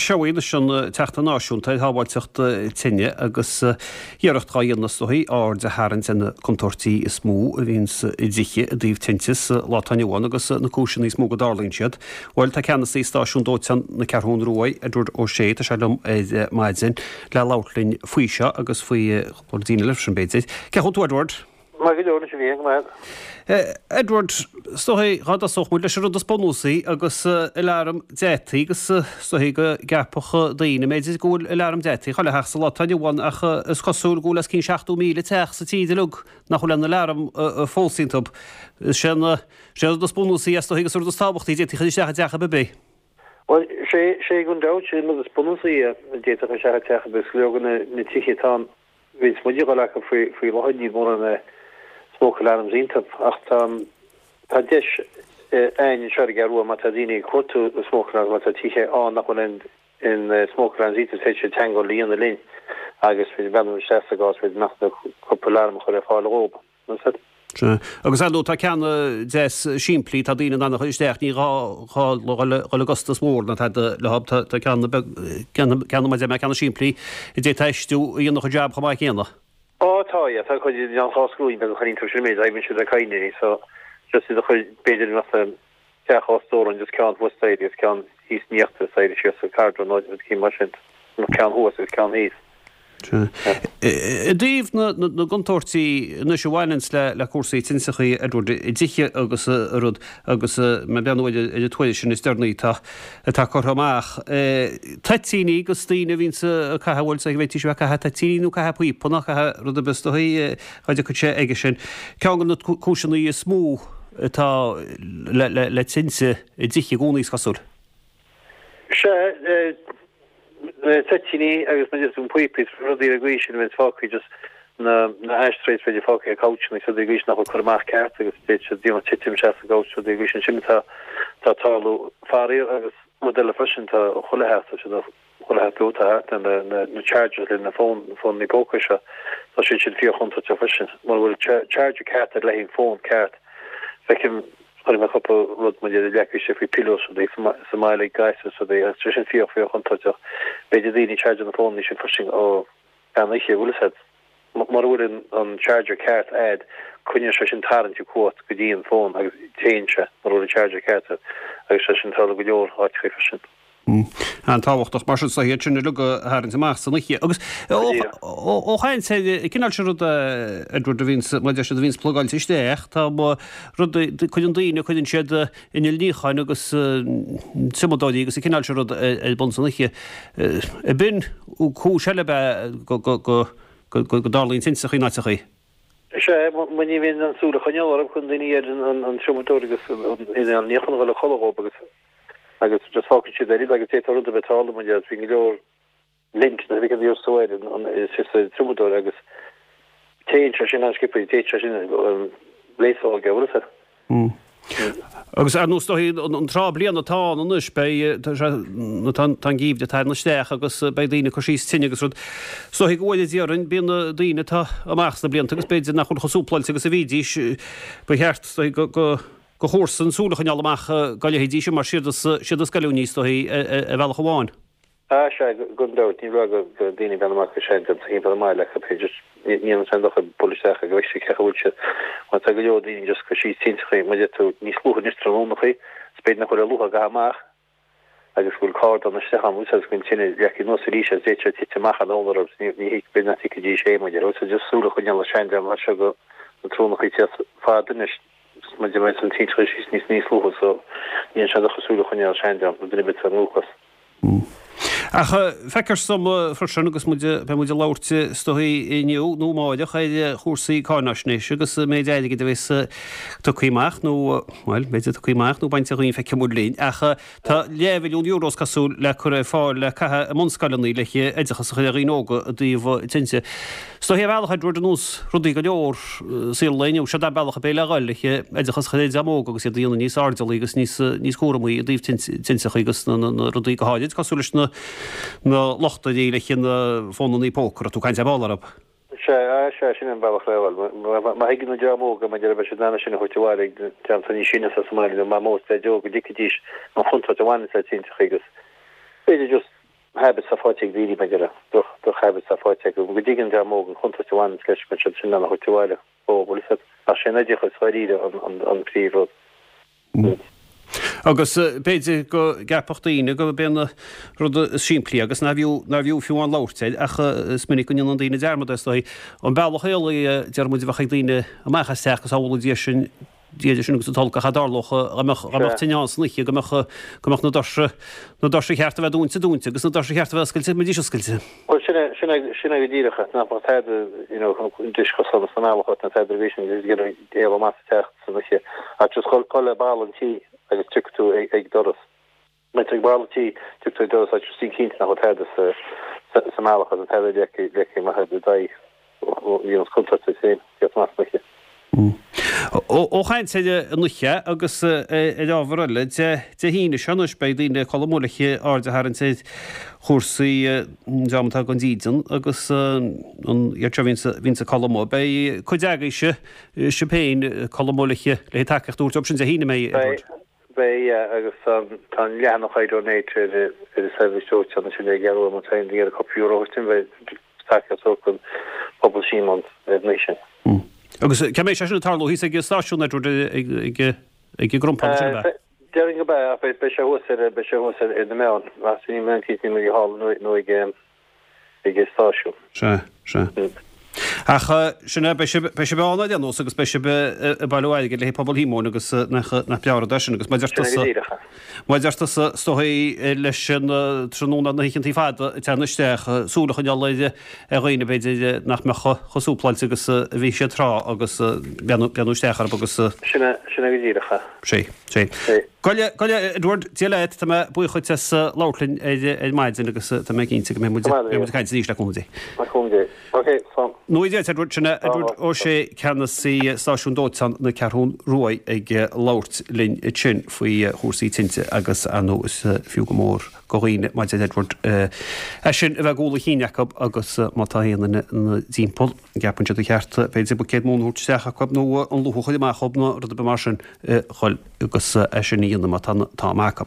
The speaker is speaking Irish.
Seoighe anois an tSeachtain Náisiúnta ar Shábháilteacht Tine agus iarracht dhá dhéanamh is dóichí aird a tharraingt ar na contúirtí is mó a bhíonns i dtithe i dtaobh tinte sa lá atá inniu ann agus na cúiseanna is mó go dtarlaíonn siad. Bhuel, tá ceannasaí stáisiún dóiteáin na Ceathrún Rua, Edward Ó Sé, tá sé liom ar maidin le labhairt linn faoi seo agus faoi cúpla rudaí eile freisin b'fhéidir. Cén chaoi a bhfuil tú, Edward? Maith go leor anois a bhí, go maith. Edward, is dóichí dhá dtosódh muid leis an rud is bunúsaí agus alarm deataigh agus is dóichí go gceapfadh daoine b'fhéidir go bhfuil alarm deataigh chuile theach sa lá atá inniu ann ach is cosúil go bhfuil os cionn 70,000 teach sa tír uilig nach bhfuil aon alarm fós iontu. Is é an rud is bunúsaí is dóichí agus an rud is tábhachtaí a d'fhéadfaí a chur isteach i dteach ar bith. Bhuel, sé, sé gan dabht, sé an rud is bunúsaí a d'fhéadfá a chur isteach i dteach ar bith, go leor de na tithe atá ann, bhíonns muid ag dul acu faoi, faoi láthair, níl mórán smoke alarms iontu, ach tá, tá deis a'ainn anseo ar an gCeathrú Rua má tá daoine ag cuartú smoke alarms, má tá tithe ann nach bhfuil aon, aon smoke alarms iontu, is féidir siad teagmháil a dhéanamh linn agus féidir breathnú isteach sa gcás, b'fhéidir nach cúpla alarm a chur ar fáil dhóibh. Sea. Agus ar ndóigh tá ceanna deas simplí, tá daoine in ann a chur isteach, ní gá dhul i gcostas mhór ná tada leo, tá ceanna beag, ceanna mar a deir mé, ceanna simplí a d'fhéadfá a fheistiú a dhéanfadh an jab chomh maith céanna. Ó tá, yeah, tá cuid de na scrúin beaga a chur iontu sin méid, oibríonn siad le cadhnraí, so just iad a chur, b'fhéidir i measc teach dhá stór ann, just ceann thuas staighre agus ceann thíos in íochtar staighre síos sa cardra nó rud eicínt mar sin, nó ceann thuas agus ceann thíos. I dtaobh na gcontúirtí anois a bhaineanns le cúrsaí tinteachaí, Edward, i dtithe agus a rud, agus mé ag breathnú ar an tuairisc sin is deireanaí atá atá curtha amach, toitíní agus daoine a bhíonns ag caitheamh, bhuel, is dóigh go bhféadfaidís a bheith ag caitheamh toitíní nó caitheamh píopa nó caitheamh rud ar bith is dóigh, dá dtiocfadh sé aige sin. Ceann de na cúiseanna is mó atá le tinte i dtithe i gcónaí, is cosúil. Sea, toitíní agus mar a deir tú píopaí is rudaí ar an gcaoi sin a bheith fágtha just na na ashtrays b'fhéidir fágtha ar couchanna agus rudaí ar an gcaoi sin nach bhfuil curtha amach ceart agus d'fhéadfadh siad you know titim isteach sa gcouch rudaí ar an gcaoi sin sin atá atá ag tarlú faraor agus rud eile freisin tá chuile theach tá siad chuile theach beo atá thart na na na chargers le na fón na fónanna póca seo tá siad sin fíor chontúirteach freisin mura bhfuil charger ceart ar le haghaidh an fón ceart feicim Chonaic mé cúpla rud maidir le leagtha isteach faoi pillows rudaí sa mbaile ag gasúir is rudaí agus tá sé sin fíor fíor chontúirteach. B'fhéidir daoine ag chargeáil na fónanna sin freisin ó mheán oíche, bhfuil fhios a'd. Mura bhfuil an charger ceart a'd coinneoidh sé sin tarraingt ag cuat go dtí an fón agus téann sé mura bhfuil an charger ceart a'd agus sé sin ag tarlú go leor áiteachaí freisin. An-tábhachtach mar sin is iad sin uilig a tharraingt amach san oíche. Agus ó chaint ar an cineál sin ruda, Edward, a bhíonns, mar a deir siad, a bhíonns plugáilte isteach, tá rudaí, cuireann daoine, cuireann siad innill níocháin agus triomadóirí agus an cineál sin rud ar bun san oíche. Ab in cúis eile ab ea go go dtarlaíonn tinteachaí in áiteachaí? Sea, mar ní bhíonn an súil a choinneáil orthu, cuireann daoine ar an triomadóir agus an inneall níocháin a dhul a chodladh dhóibh agus agus just fágann siad ar iad agus d'fhéadfadh rud a bheith ag tarlú mar gheall bhí go leor lint na bhí go soir an is sa triomadóir agus téann sé sin an-sciobtha téann sé sin léasóg a bhfuil fhios a'd. Agus ar nós dóigh an tráth bliana atá ann anois beidh tá sé tá an geimhreadh ag tarraingt isteach agus beidh daoine ag cur síos tine agus rud. Is dóigh go bhfuil déarfainn bíonn na daoine atá amach sna blianta agus b'fhéidir nach bhfuil chomh súpláilte agus a bhídís ba cheart is dóigh go go do chomharsain súil a choinneáil amach dá leithéidí sin mar siad is siad is goilliúnaí is dóichí ar bhealach amháin. Ah sea, gan dabht, ní raibh go daoine ag breathnú amach go sean-dream sa thimpeall an mbaile acu, b'fhéidir, ní dhéanann sé aon dochar bualadh isteach go bhfeicfidh siad cé chaoi a bhfuil siad, mar tá go leor daoine just ag cur síos tinteachaí, mar a deir tú, níos luaithe anois tráthnónachaí, is b'fhéidir nach bhfuil a luaithe ag caitheamh amach agus go bhfuil cardán isteach ann, agus go bhfuil an tine leagtha anuas arís agus d'fhéadfadh sé titim amach an eolas orthu, ní ní b'fhéidir nach dtuigfidís é, mar a deir tú, so just súil a choinneáil ar sean-dream mar seo go na tráthnónachaí téas fada anois. Mar a bheas an tinte síos níos níos luaithe so ní dhéanann sé dochar súil a choinneáil ar sean-dream, nó duine ar bith atá i ndúchas. Ach feictear dom freisin agus muid, beidh muid ag labhairt is dóigh inniu nó amáireach ar chúrsaí cáináisnéise agus an méid airgid a bheas tugtha amach nó, bhuel, b'fhéidir tugtha amach nó bainte dhínn, feicfidh muid linn. Ach tá leathbhilliún euro is cosúil le cur ar fáil le caitheamh i mbunscoileanna le hoideachas a chur ar dhaoine óga i dtaobh tinte. Is dóichí ar bhealach, Edward, ar nós rudaí go leor i saol an lae inniu, seod é an bealach ab é le dhul, le hoideachas a chur ar an dream óg agus iad a dhéanamh níos airdeallaí agus níos níos cúramaí i dtaobh tinteachaí agus na na rudaí go háirid cosúil leis na na luchtairí le na fónannaí póca, raibh tú ag caint ar ball orthu. Sea, sea, sin an bealach le dhul. Má thuigeann an dream óg maidir le beidh siad in ann é sin a thabhairt abhaile ag an dream atá níos sine sa mbaile nó mamó is daideo go dtuigfidís an chontúirt a bhaineann le tinteachaí agus b'fhéidir just. Habits atá faighte ag daoine, b'fhéidir, droch, droch habits atá faighte acu, go dtuigeann an dream óg an chontúirt a bhaineanns leis, go mbeidh siad sin in ann a thabhairt abhaile dhóibh, bhfuil a fhios agat. Ach sé an oideachas, dháiríre, an, an, an príomh rud. Agus b'fhéidir go gceapfadh daoine gurb é an rud is simplí agus nárbh fhiú, nárbh fhiú fiú amháin labhairt air, ach is minic go ndéanann daoine dearmad air, is dóigh. An bealach éalaithe a deir muid a bheadh ag daoine amach as teach agus amhlaidh Dia sin, Dia sin agus an t-olc ach cha dtarlódh dá mbeadh, dá mbeadh tine ann san oíche, go mbeadh, go mbeadh na doirse, na doirse cheart a bheith dúinte, dúinte agus na doirse cheart a bheith oscailte, mbeidís oscailte. Bhuel, sin é, sin é, sin é go díreach é, nach mbeadh tada, you know, deis chosán sa mbealach ort, ná tada ar bith sin, just ag iarraidh éalú amach as an teach san oíche, ach just dhul, dhul le balla an tí agus tiocfaidh tú ag, ag doras. Má tá tú ag balla an tí, tiocfaidh tú ag doras ach just bí cinnte nach bhfuil tada sa, sa, sa mbealach agus tada leagtha, leagtha amach i d'aghaidh, a dhéanfas contúirt duit féin, tíocht amach san oíche. Ó chaint ar an oíche agus ar ábhar eile, Dé hAoine seo anois beidh daoine ag codladh amuigh le aird a tharraingt ar chúrsaí an dream atá gan dídean agus an iad seo a bhíonns ag codladh amuigh. Beidh cuid agaibhse, sibh féin, ag codladh amuigh le tacaíocht a thabhairt dóibh sin Dé hAoine, an mbeidh, Edward? Beidh, yeah, agus tá an leathanach iDonate ar an seirbhís dóiteáin ansin ag iarraidh má tá aon duine ag iarraidh cúpla euro a thabhairt beidh tacaíocht a thabhairt don phobal Síomón ar an oíche sin. Agus cá mbeidh sé sin ag tarlú thíos ag an stáisiún, Edward, ag ag an gcrompán sin, ab ea? Déarfainn go mbeidh, ach beidh sé thuas ar beidh sé thuas ar na meáin, ach níl mé cinnte níl mé thall nó ag ag an stáisiún. Sea, sea. Ach sin é, beidh sibh, beidh sibh ann ar aon nós agus beidh sibh ag bailiú airgid le haghaidh pobal Shíomóin agus nach, nach breá rud é sin agus mar a deir tusa, mar a deir tusa, is dóigh leis an tráthnóna na hoícheantaí fada ag teannadh isteach, súil a choinneáil ar, ar dhaoine b'fhéidir nach mbeadh chomh súpláilte agus a bhí siad tráth agus breathnú, breathnú isteach orthu agus. Sin é, sin é go díreach é. Sea, sea. Sea. Gabh i leith, Edward, Dia leat, tá mé buíoch dhuit as labhairt linn ar maidin agus tá mé cinnte go mbeidh muid ag caint arís le cúnamh Dé. Le cúnamh Dé. Ok, slán. Nó Dia leat, Edward, sin é Edward Ó Sé, Ceannasaí Stáisiún Dóiteáin na Ceathrún Rua ag labhairt linn ansin faoi chúrsaí tinte agus ar ndóigh is fiú go mór do dhaoine mar a deir Edward é sin a bheith i gcúl a chinn acu agus má tá aon duine ina dtimpeall gceapann siad ar cheart b'fhéidir buicéad móna a thabhairt isteach acu nó an luch a chur amach dhóibh nó rud ar bith mar sin a dhul agus é sin a dhéanamh má tá an t-am acu.